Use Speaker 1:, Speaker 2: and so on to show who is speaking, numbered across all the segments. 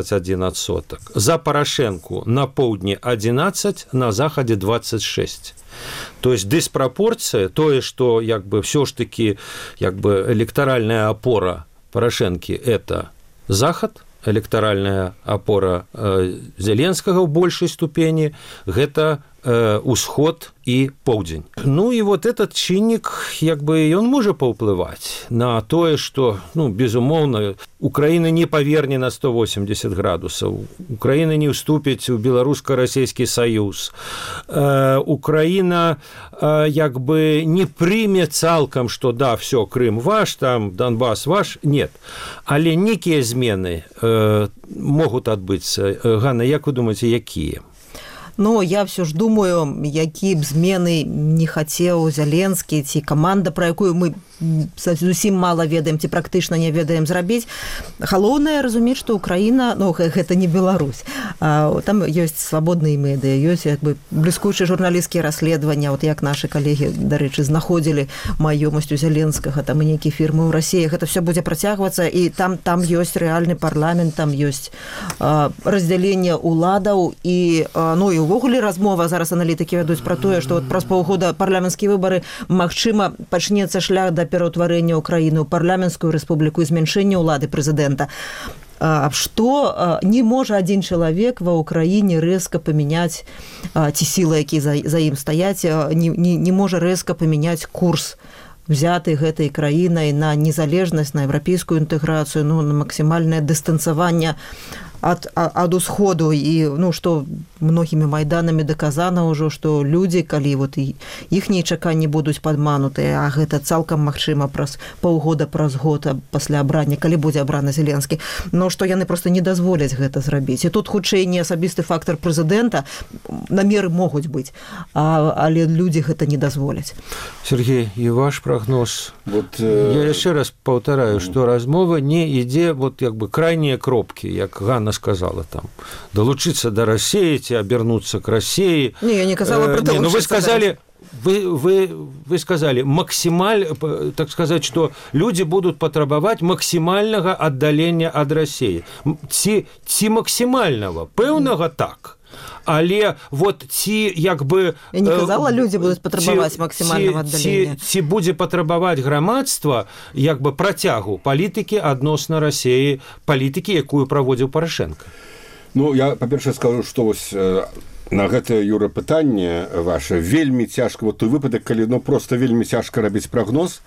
Speaker 1: 21%. За Порошенку на поўдні 11, на захадзе 26. То есть диспропорция, то, что все ж таки электоральная опора Порошенки – это Захад, электоральная опора Зеленскага в большей ступени – это усход и поўдзень. Ну и вот этот чыннік, он может паўплываць на тое, что, безумоўна, Украина не поверне на 180 градусов, Украина не уступіць у беларуска-расійскі саюз, Украина не прыме цалкам, что да, все, Крым ваш, там Донбасс ваш, нет. Але некие змены могут адбыцца. Ганна, як вы думаете, якія?
Speaker 2: Но я все ж думаю, які б змены не хацеў Зеленскі ці каманда, пра якую мы зусім мала ведаем ці практычна не ведаем зрабіць. Галоўнае разумець, што Украіна, гэта не Беларусь. Там ёсць свабодныя медыа, ёсць бліскучыя журналісцкія расследавання, як нашы калегі, дарэчы, знаходзілі маёмасць у Зеленскага, там і нейкія фірмы ў Расіі. Гэта все будзе працягвацца, і там ёсць рэальны парламент, там ёсць раздзяленне ўладаў і увогуле размова зараз аналітыкі вядуць пра тое, што праз паўгода парламенцкія выбары, магчыма, пачнецца шлях да пераўтварэння Украіны ў парламенцкую рэспубліку і змяншэння ўлады прэзідэнта. Што не можа адзін чалавек ва ўкраіне рэзка памяняць, ці сілы, якія за ім стаяць, не можа рэзка памяняць курс взяты гэтай краінай на незалежнасць, на еўрапейскую інтэграцыю, на максімальнае дыстанцаванне ад усходу, і што многімі майданамі даказана ўжо, што людзі, калі іхнія чаканні будуць падманутыя, а гэта цалкам магчыма праз паўгода, праз год пасля абрання, калі будзе абраны Зеленскі, што яны проста не дазволяць гэта зрабіць. І тут хутчэй не асабісты фактар прэзідэнта, намеры могуць быць, але людзі гэта не дазволяць.
Speaker 1: Сергей, і ваш прогноз? Я яшчэ раз паўтараю, што размова не ідзе крайнія кропкі, як Ганна сказала, там, долучиться до России, обернуться к России.
Speaker 2: Не, я не сказала про долучиться.
Speaker 1: Но вы сказали, так сказать, что люди будут потребовать максимального отдаления от России. Ці максимального, пэўнага так. Але ці
Speaker 2: Я не казала, людзі будуць патрабаваць максімальнага аддалення.
Speaker 1: Ці будзе патрабаваць грамадства працягу палітыкі адносна Расіі, палітыкі, якую праводзіў Порошенко?
Speaker 3: Я, па-першае, скажу, што на гэтае, Юра, пытанне ваше вельмі цяжка, той выпадак, калі проста вельмі цяжка рабіць прагноз,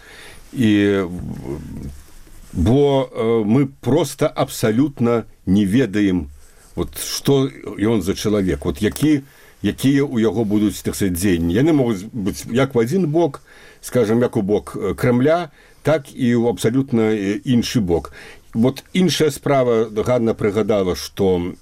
Speaker 3: бо мы проста абсалютна не ведаем, што ён за чалавек, якія ў яго будуць, так сказать, дзеянні. Яны могуць быць як в адзін бок, скажем, як у бок Кремля, так і ў абсалютна іншы бок. Іншая справа, Ганна прыгадала, што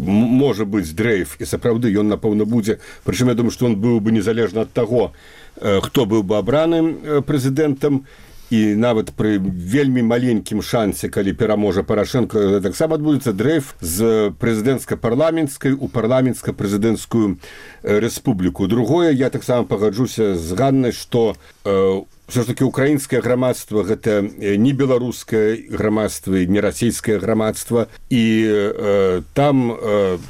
Speaker 3: можа быць дрейф, і сапраўды ён, напэўна, будзе, прычым я думаю, што ён быў бы незалежна ад таго, хто быў бы абраным прэзідэнтам, і нават пры вельмі маленькім шансе, калі пераможа Порошенко, таксама адбудзецца дрейф з прэзідэнцка-парламенцкай у парламенцка-прэзідэнцкую рэспубліку. Другое, я таксама пагаджуся з Ганнай, што все ж таки украінскае грамадства гэта не беларускае грамадства, не расійскае грамадства, і там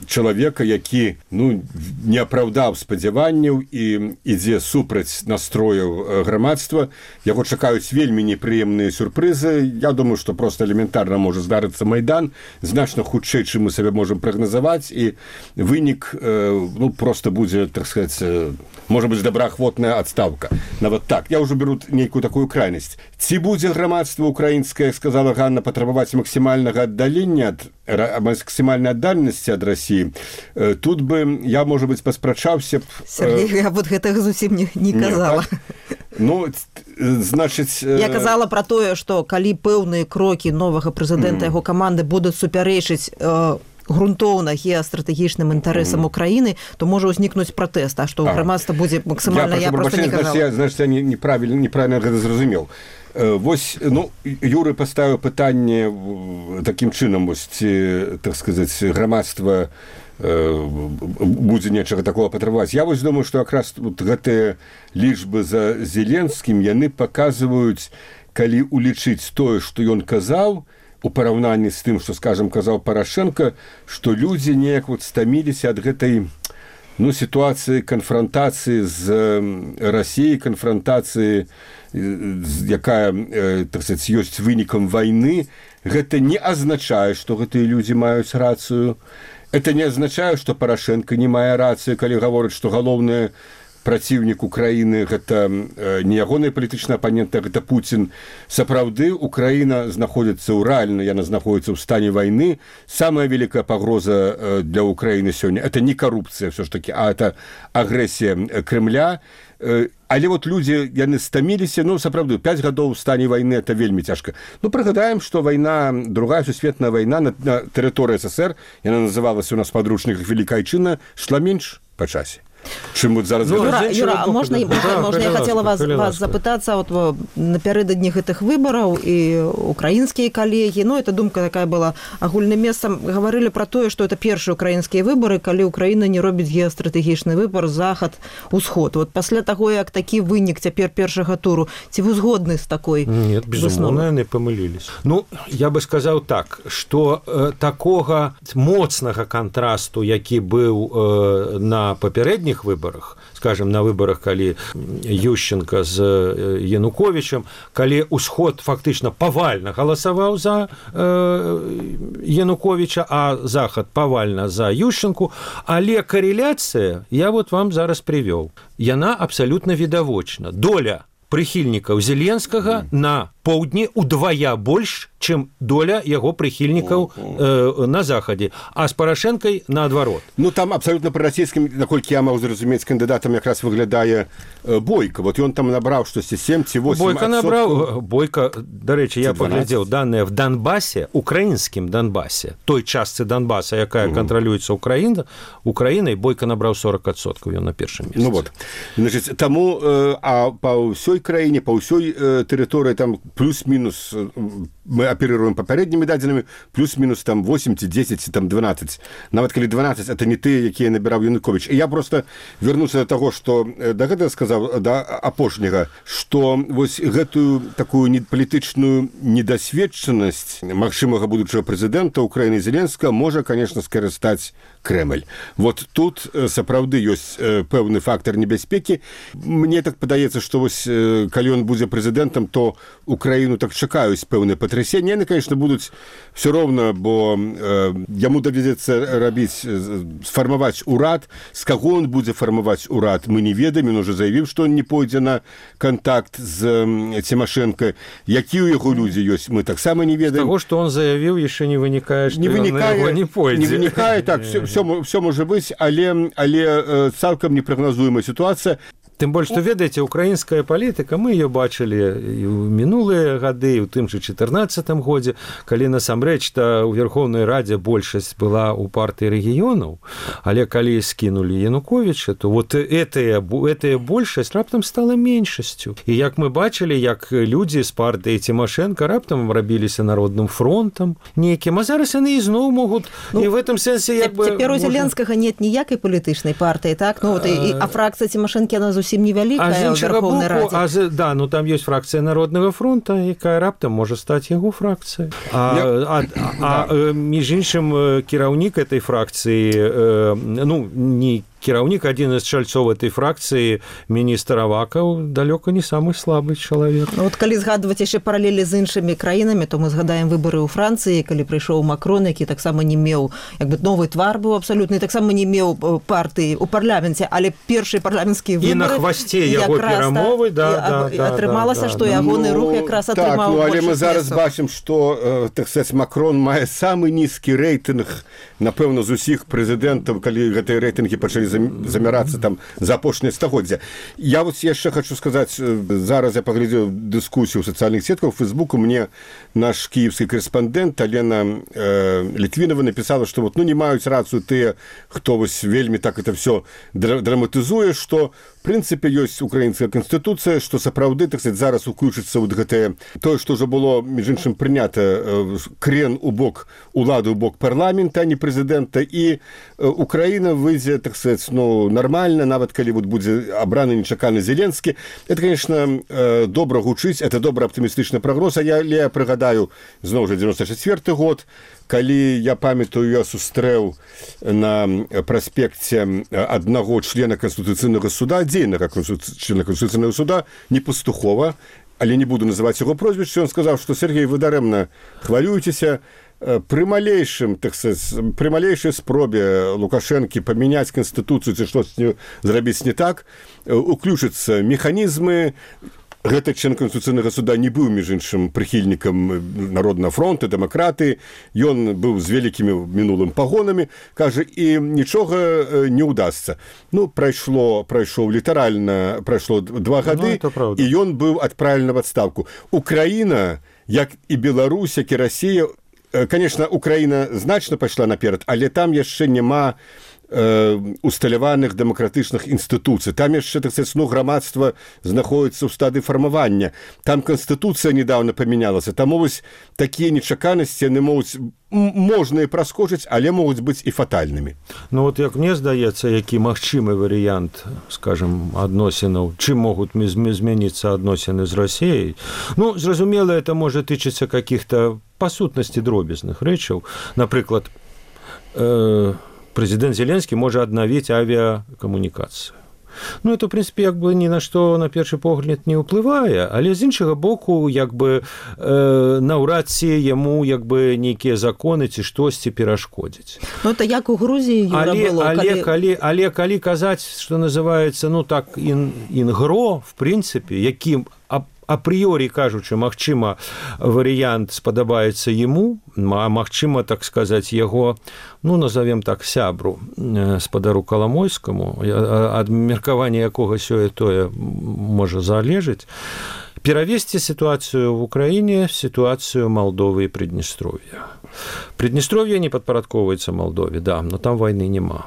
Speaker 3: чалавека, які не апраўдаў спадзяванняў і ідзе супраць настрояў грамадства, яго чакаюць вельмі непрыемныя сюрпрызы. Я думаю, што проста элементарна можа здарыцца Майдан, значна хутчэй, чым мы сабе можам прагназаваць, і вынік проста будзе, так сказать, можа быць добраахвотная адстаўка. Нават так. Я ўжо беру нейкую такую крайнасць. Ці будзе грамадства украінскае, сказала Ганна, патрабаваць максімальнага аддалення, максімальнай аддальнасці ад Расіі. Тут бы я, можа быць, паспрачаўся...
Speaker 2: Сергей, я гэтага зусім не казала.
Speaker 3: Значыць...
Speaker 2: Я казала пра тое, што калі пэўныя крокі новага прэзідэнта, яго каманды будуць супярэчыць грунтоўна геастратэгічным інтарэсам Украіны, то можа ўзнікнуць пратэст, а што грамадства будзе максімальна, я проста не казала.
Speaker 3: Значыць, я неправільна гэта зразумеў. Юры паставіў пытанне такім чынам, так сказаць, грамадства будзе нечага такого патрабаваць. Я думаю, што якраз гэтыя лічбы за Зеленскім, яны паказваюць, калі улічыць тое, што ён казаў, у параўнанні з тым, што, скажам, казаў Парашенко, што людзі неяк вот стаміліся ад гэтай сітуацыі канфрантацыі з Расіяй, канфрантацыі, якая, так сказать, ёсць вынікам вайны. Гэта не азначае, што гэтыя людзі маюць рацыю. Это не азначае, што Парашенко не мае рацыю, калі гаворыць, што галоўнае праціўнік Украіны гэта не ягоны палітычны апанент, а гэта Пуцін. Сапраўды, Украіна знаходзіцца рэальна, яна знаходзіцца ў стане вайны. Самая вялікая пагроза для Украіны сёння это не карупцыя ўсё ж такі, а это агрэсія Крэмля. Але вот людзі, яны стаміліся, сапраўды, 5 гадоў у стане вайны это вельмі цяжка. Прыгадаем, што вайна, другая сусветная вайна на тэрыторыі СССР, яна называлася у нас в падручніках Великая Айчына, шла менш па часе. Чым вот зараз...
Speaker 2: Юра, можна я хотела вас запытацца, вот напярэдадні гэтых выбараў і украінскія калегі, это думка такая была агульным месцам, гаварылі пра тое, што это першыя украінскія выбары, калі Украіна не робіць геастратэгічны выбар захад-усход. Вот пасля таго, як такі вынік цяпер першага туру, ці вы згодны з такой
Speaker 1: высновай? Нет, безумоўна, яны памыліліся. Я бы сказаў так, што такога моцнага кантрасту, які быў на папярэдніх выборах, скажем, на выборах, калі Ющенко з Януковичем, калі ўсход фактычна павальна галасаваў за Януковича, а захад павальна за Ющенку, але карэляцыя, я вот вам зараз прывёў, яна абсалютна відавочна. Доля прыхільнікаў Зеленскага на поўдні удвая больш, чым доля яго прыхільнікаў на захадзе, а з Парашэнкай наадварот.
Speaker 3: Там абсалютна прарасійскім, наколькі я мог зразумець, кандыдатам якраз выглядае Бойко. Вот ён там набраў штосьці 7 ці 8%.
Speaker 1: Бойко набраў, Бойко, дарэчы, я паглядзеў даныя в Донбасе, украінскім Донбасе, той частцы Донбаса, якая кантралюецца Украінай, Бойко набраў 40%, ён на першым месцы.
Speaker 3: Вот. Значит, таму, а па ўсёй краіне, па ўсёй тэрыторыі там плюс-мінус, мы аперируем папярэднімі дадзенымі, плюс-мінус там 8 ці 10 ці там 12. Нават калі 12, это не тыя, якія набіраў Янукович. І я просто вернуся до таго, што да гэтага сказаў, да апошняга, што вось гэтую такую палітычную недасведчанасць магчымага будучага прэзідэнта Украіны Зеленскага можа, конечно, скарыстаць Крэмль. Вот тут сапраўды ёсць пэўны фактор небяспекі. Мне так падаецца, што вось калі ён будзе прэзідэнтам, то Украіну так чакаюць пэўныя патрясенні. Яны, конечно, будуць все роўна, бо яму давядзецца рабіць, сфармаваць урад. З каго ён будзе фармаваць урад, мы не ведаем. Ён уже заявіў, што он не пойдзе на контакт з Тимошенко. Які ў яго людзі ёсць, мы таксама не ведаем.
Speaker 1: З таго, што он заявіў, яшчэ не вынікае, што ён на яго не пойдзе.
Speaker 3: Не вынікае, так, все можа быць, але цалкам непрагназуемая сітуацыя.
Speaker 1: Тым больш, што, ведаеце, украінская палітыка, мы ее бачылі і ў мінулыя гады, і ў тым же 14 годзе, калі насамрэч-то ў Верховнай Радзе большасць была ў партыі рэгіёнаў, але калі скінулі Януковича, то вот этая большасць раптам стала меншасцю. І як мы бачылі, як людзі з партыі Тимошенко раптам рабіліся народным фронтам нейкім, а зараз яны ізноў могуць, і в этом сэнсе як бы...
Speaker 2: Цяпер у Зеленскага нет ніякай палітычнай партыі, так? А фракцыя Тимошенко, яна зусім невялікая ў Верховнай Радзе.
Speaker 1: Да, там ёсць фракцыя Народнага фронта, якая раптам можа стаць яго фракцыяй. Між іншым, кіраўнік этой фракцыі, не кіраўнік, адзін з чальцоў этой фракцыі, міністр Авакаў, далёка не самы слабы чалавек.
Speaker 2: Вот калі згадваць яшчэ паралелі з іншымі краінамі, то мы згадаем выбары ў Францыі, калі прыйшоў Макрон, які таксама не меў, як бы новы твар быў абсалютны, таксама не меў партыі ў парламенце, але першыя парламенцкія выбары...
Speaker 1: І на хвасце яго перамовы,
Speaker 2: атрымалася, што ягоны рух якраз атрымаў
Speaker 3: больш. Але мы зараз бачым, што, так сказаць, Макрон мае самы нізкі рэйтынг, напэўна, з усіх прэзідэнтаў, калі гэтыя рэйтынгі пачалі замірацца там за апошняе стагоддзя. Я вот яшчэ хочу сказаць, зараз я паглядзеў дыскусію ў сацыяльных сетках, у Фейсбуку мне наш кіевскі корэспандэнт Алена Літвінова напісала, што вот, не маюць рацыю тыя, хто вось вельмі так это все драматызуе, што в прынцыпе ёсць украінская канстытуцыя, што сапраўды, так сказать, зараз уключыцца вот гэтае тое, што ўжо было між іншым прынята, крен у бок улады, у бок парламента, а не прэзідэнта, і Украіна выйдзе, так сказать, сказаць, ну, нармальна, нават калі вот будзе абраны нечаканы Зеленскі. Это, конечно, добра гучыць, это добра аптымістычны прагноз, а я прыгадаю, зноў жа, 94 год, калі, я памятаю, я сустрэў на праспекце аднаго члена Конституцыйнага суда, дзейнага члена Конституцыйнага суда, не Пастухова, але не буду называць яго прозвішча, ён сказаў, што Сергей, вы дарэмна хвалюецеся, пры малейшым, так сказать, пры малейшай спробе Лукашэнкі памяняць Канстытуцыю ці штосьці зрабіць не так, уключацца механізмы. Гэты член Конституцыйнага суда не быў, між іншым, прыхільнікам Народнага фронту, дэмакраты, ён быў з вялікімі мінулым пагонамі, кажа, і нічога не ўдасца. Ну, прайшоў літаральна, прайшло 2 гады, і ён быў адправлены в адстаўку. Украіна, як і Беларусь, як і Расія, конечно, Украіна значна пайшла наперад, але там яшчэ няма усталяваных дэмакратычных інстытуцый. Там яшчэ, так сказать, грамадства знаходіцца ў стадыі фармавання. Там Канстытуцыя недавно памянялася. Таму вось такія нечаканасці, яны можна і праскочыць, але могуць быць і фатальнымі.
Speaker 1: Ну вот як мне здаецца, які магчымы варыянт, скажем, адносінаў, чым могуць змяніцца адносіны з Расіяй. Ну, зразумела, это можа тычыцца каких-то па сутнасці дробязных рэчаў. Напрыклад, президент Зеленский может аднавіць авіакамунікацыю. Ну, это, в принципе, як бы ні на што, на першы погляд, не ўплывае, але з іншага боку, як бы, наўрад ці яму, як бы, нейкія законы ці штосьці перашкодзіць.
Speaker 2: Ну, это як у Грузіі было.
Speaker 1: Але калі казаць, што называецца, ну, так, інгро, в принципе, якім апрыёрі кажучы, магчыма, варыянт спадабаецца яму, а магчыма, так сказаць, яго, ну, назовем так, сябру, спадару Каламойскаму, ад меркавання якога сёе-тое можа залежыць, перавесці сітуацыю в Украіне в сітуацыю Молдовы і Приднестровья. Приднестровье не падпарадкоўваецца Молдове, да, но там войны няма.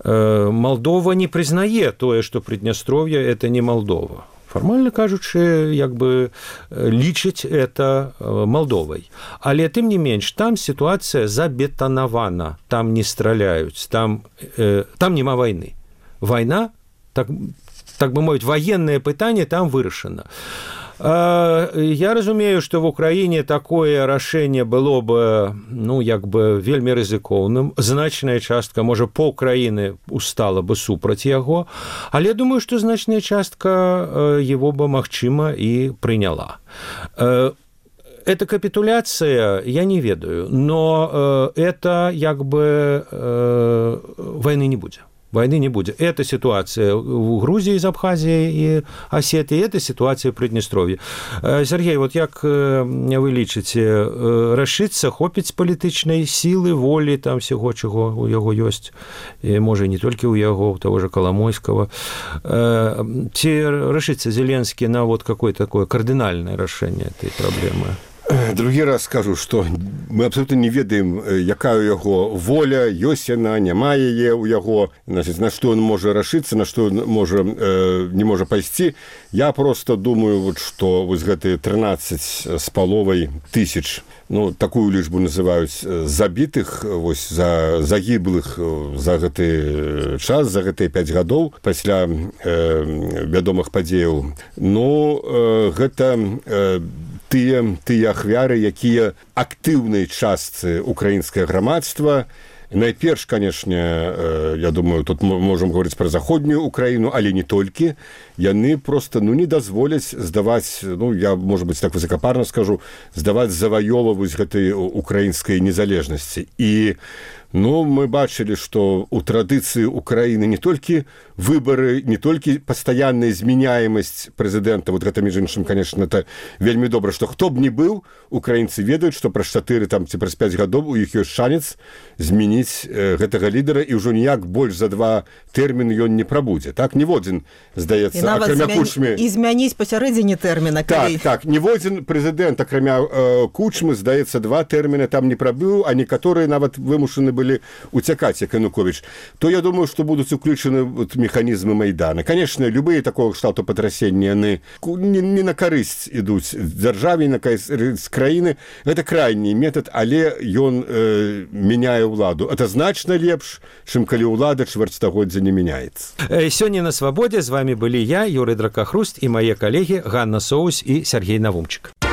Speaker 1: Молдова не прызнае тое, што Приднестровье – это не Молдова. Формально кажучы, як бы лічыць это Молдовай. Але тым не менш, там сітуацыя забетанавана, там не страляюць, там няма вайны. Вайна, так бы мовіць, военное пытанне там вырашана. Я разумею, што в Украіне такое рашэнне было бы, ну, як бы вельмі рызыкоўным. Значная частка, можа, паўкраіны устала бы супраць яго, але думаю, што значная частка его бы, магчыма, і прыняла. Это капитуляция, я не ведаю, но это, як бы, войны не будзе. Войны не будет. Это ситуация в Грузии с Абхазией и Осетией, это ситуация в Приднестровье. Сергей, вот як вы лічыце, рашыцца, хопіць палітычнай сілы, волі, там всего, чего у яго ёсць, і, можа, не толькі у яго, у того же Коломойского. Ці рашыцца Зеленскі на вот какое-то такое кардынальное рашэнне этой проблемы?
Speaker 3: Другі раз скажу, што мы абсолютно не ведаем, якая у яго воля, ёсць яна, няма яе ў яго, значит, на што ён можа рашыцца, на што ён не можа пайсці. Я просто думаю, вот, што вось гэтыя 13,5 тысяч, ну, такую лічбу называюць, забітых, вось, загіблых за гэты час, за гэтыя 5 гадоў пасля вядомых падзеяў. Ну, гэта тыя ахвяры, якія актыўнай частцы украінскае грамадства. Найперш, конечно, я думаю, тут можем говорить про заходнюю Украину, але не толькі. Яны просто, ну, не дазволяць здаваць, ну, я, может быть, так высокопарно скажу, здаваць заваёвываць гэтай украінскай незалежнасці. І, ну, мы бачылі, што у традыцыі Украіны не толькі выборы, не толькі пастаянная зменяемасць прэзідэнта, вот гэта, між іншым, конечно, это вельмі добра, што хто б не быў, украінцы ведаюць, што праз 4 там, ці праз 5 гадоў у іх ёсць шанец змяніць гэтага лідара, і ўжо ніяк больш за 2 тэрміны ён не прабудзе. Так, ніводзін, здаецца, акрамя Кучмы...
Speaker 2: І змяніць пасярэдзіне тэрміна.
Speaker 3: Так, ніводзін прэзідэнт, акрамя Кучмы, здаецца, 2 тэрміны там не прабыў, а некаторыя нават вымушаны былі спрабовалі уцякаць, як Януковіч, то я думаю, што будуць уключаны механізмы Майдана. Конечно, любые такого кшталту патрасення, яны не на карысць ідуць дзяржаве, на карысць краіны. Гэта крайні метад, але ён мяняе ўладу. Это значна лепш, чым калі ўлада чвэрцьстагоддзя не мяняецца.
Speaker 1: Сёння на Свабодзе з вами былі я, Юрый Дракахруст, і мае калегі Ганна Соус і Сергей Навумчык.